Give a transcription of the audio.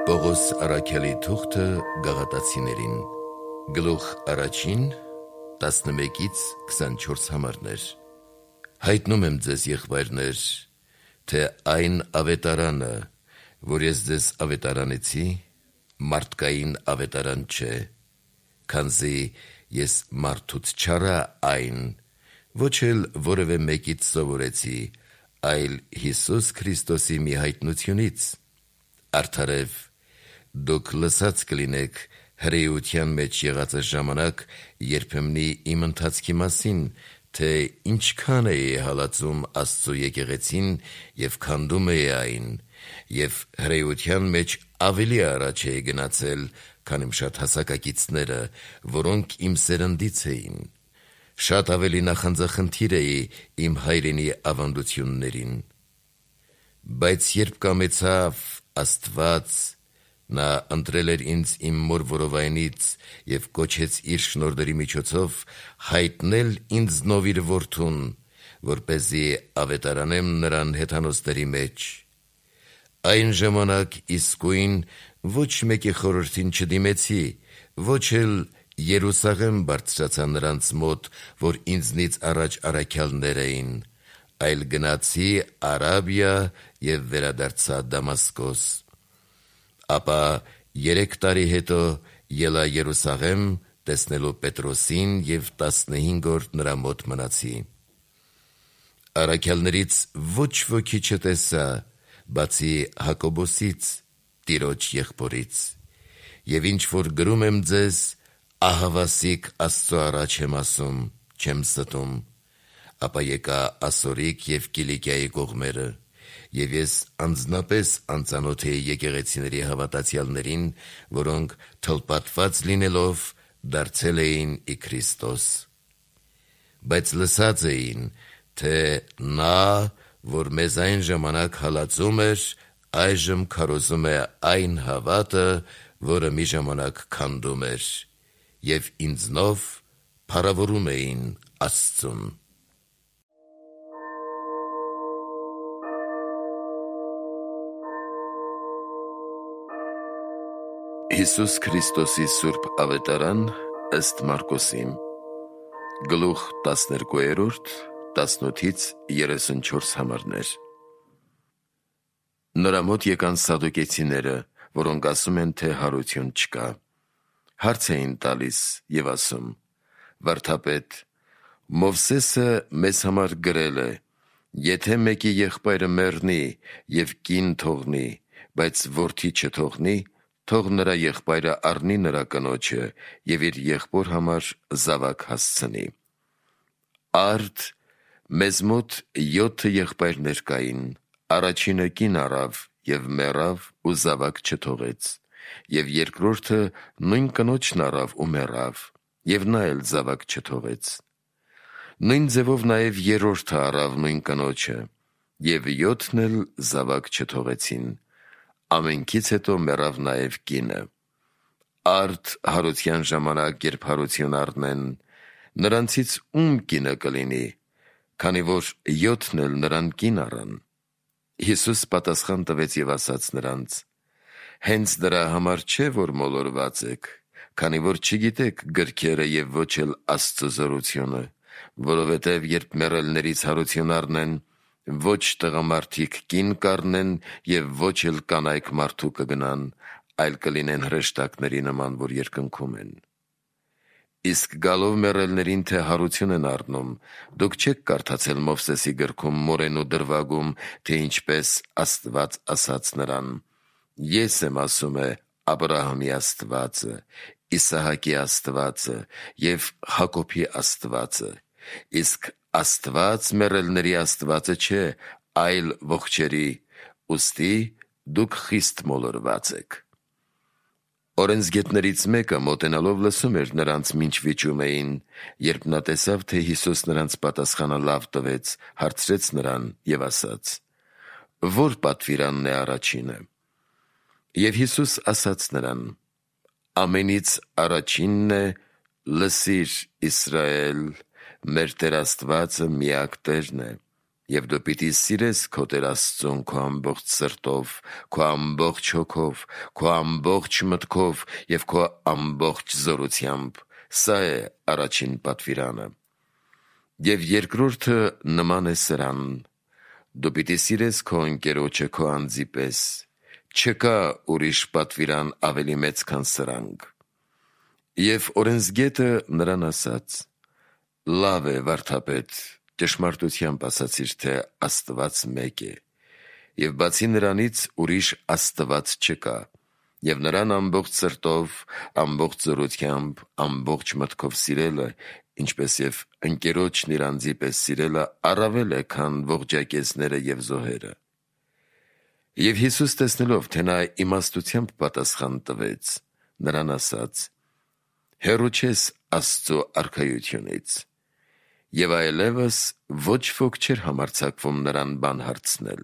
Պողոս առաքյալի թուղթը Գաղատացիներին, գլուխ առաջին, 11-24 համարներ։ Հայտնում եմ ձեզ, եղբայրներ, թե այն ավետարանը, որ ես ձեզ ավետարանեցի, մարդկային ավետարան չէ, քանզի ես մարդուց չարա այն, ոչ էլ որևէ մեկից սովորեցի, այլ Հիսուս Քրիստոսի մի հայտնությունից։ Արդարև, դուք լսած կլինեք հրեության մեջ եղածը ժամանակ երբեմնի իմ ընթացքի մասին, թե ինչքան էի հալածում Աստծու եկեղեցին և քանդում էի այն, և հրեության մեջ ավելի առաջ էի գնացել, քան իմ շատ հասակակիցները, որոնք իմ սերնդից էին։ Շատ ավելի նախանձախնդիր էի իմ հայրենի ավանդություններին։ Բայց երբ կամեցավ Աստված, նա ընտրել էր ինձ իմ մոր որովայնից և կոչեց իր շնորհների միջոցով հայտնել ինձնով իր որդուն, որպեսզի ավետարանեմ նրան հեթանոսների մեջ։ Այն ժամանակ իսկույն ոչ մեկի խորհրդին չդիմեցի, ոչ էլ Երուսաղեմ բարձրացա նրանց մոտ, որ ինձնից առաջ առաքյալներ էին, այլ գնացի Արաբիա և վերադարձա Դամասկոս։ Ապա 3 տարի հետո ելա Երուսաղեմ տեսնելու Պետրոսին և 15 օր նրա մոտ մնացի։ Առաքյալներից ոչ ոքի չտեսա, բացի Հակոբոսից, Տիրոջ եղբորից, և ինչ որ գրում եմ ձեզ, ահավասիկ Աստծու առաջ եմ ասում, չեմ ստում։ Ապա եկա Ասորիկ և Կիլիկիայի կողմերը, և ես անձնապես անծանոթ էի եկեղեցիների հավատացյալներին, որոնք թլպատված լինելով դարձել էին ի Քրիստոս։ Բայց լսած էին, թե նա, որ մեզ այն ժամանակ հալածում էր, այժմ քարոզում է այն հավատը, որը մի ժամանակ քանդում էր, և ինձնով փառավորում էին Աստծուն։ Հիսուս Քրիստոսի սուրբ ավետարան ըստ Մարկոսի, գլուխ 12, 18-34 համարներ։ Նրա մոտ եկան սադուկեցիները, որոնք ասում են, թե հարություն չկա։ Հարց էին տալիս և ասում. «Վարդապետ, Մովսեսը մեզ համար գրել է. եթե մեկի եղբայրը մեռնի և կին թողնի, բայց որդի չթողնի, թող նրա եղբայրը առնի նրա կնոջը և իր եղբոր համար զավակ հասցնի։ Արդ մեզ մոտ 7 եղբայրներ կային, առաջինը կին առավ և մեռավ ու զավակ չթողեց, և երկրորդը նույն կնոջն առավ ու մեռավ, և նա էլ զավակ չթողեց։ Նույն ձևով նաև երրորդը առավ նույն կնոջը, և 7-ն էլ զավակ չթողեցին, ամենքից հետո մեռավ նաև կինը։ Արդ հարության ժամանակ, երբ հարություն առնեն, նրանցից ում կինը կլինի, քանի որ 7-ն էլ նրան կին առան»։ Հիսուս պատասխան տվեց և ասաց նրանց. «Հենց դրա համար չէ, որ մոլորված եք, քանի որ չգիտեք գրքերը և ոչ էլ Աստծու զորությունը, որովհետև երբ մեռելներից հարություն առնեն, ոչ տղամարդիկ կին կառնեն և ոչ էլ կանայք մարդու կգնան, այլ կլինեն հրեշտակների նման, որ երկնքում են։ Իսկ գալով մեռելներին, թե հարություն են առնում, դուք չեք կարդացել Մովսեսի գրքում մորեն ու դրվագում, թե ինչպես Աստված ասաց նրան. «Ես եմ, ասում է, Աբրահամի Աստվածը, Իսահակի Աստվածը և Հակոբի Աստվածը, իսկ Աստված մեռելների Աստվածը չէ, այլ ողջերի, ուստի դուք խիստ մոլորված եք»։ Օրենսգետներից մեկը մոտենալով լսում էր նրանց մինչ վիճում էին, երբ նա տեսավ, թե Հիսուս նրանց պատասխանը լավ տվեց, հարցրեց նրան և ասաց. «Ո՞ր պատվիրանն է առաջինը»։ Եվ Հիսուս ասաց նրան. «Ամենից առաջինն է. «Լսիր, Իսրայել, մեր Տեր Աստվածը միակ Տերն է, Եվ դու պիտի սիրես քո Տեր Աստծուն քո ամբողջ սրտով, քո ամբողջ հոգով, քո ամբողջ մտքով և քո ամբողջ զորությամբ։ Սա է առաջին պատվիրանը։ Եվ երկրորդը նման է սրան. դու պիտի սիրես քո ընկերոջը քո անձի պես։ Չկա ուրիշ պատվիրան ավելի մեծ, քան սրանք։ Եվ օրենսգետը նրան ասաց. լավ է, վարդապետ, ճշմարտությամբ ասացիր, թե Աստված մեկ է, և բացի նրանից ուրիշ Աստված չկա, և նրան ամբողջ սրտով, ամբողջ զորությամբ, ամբողջ մտքով սիրելը, ինչպես և ընկերոջն իր անձի պես սիրելը, առավել է, քան ողջակեզները և զոհերը։ Եվ Հիսուս, տեսնելով, թե նա իմաստությամբ պատասխան տվեց, նրան ասաց. հեռու չես Աստծու արքայությունից։ Եվ այլևս ոչ ոք չէր համարձակվում նրան բան հարցնել։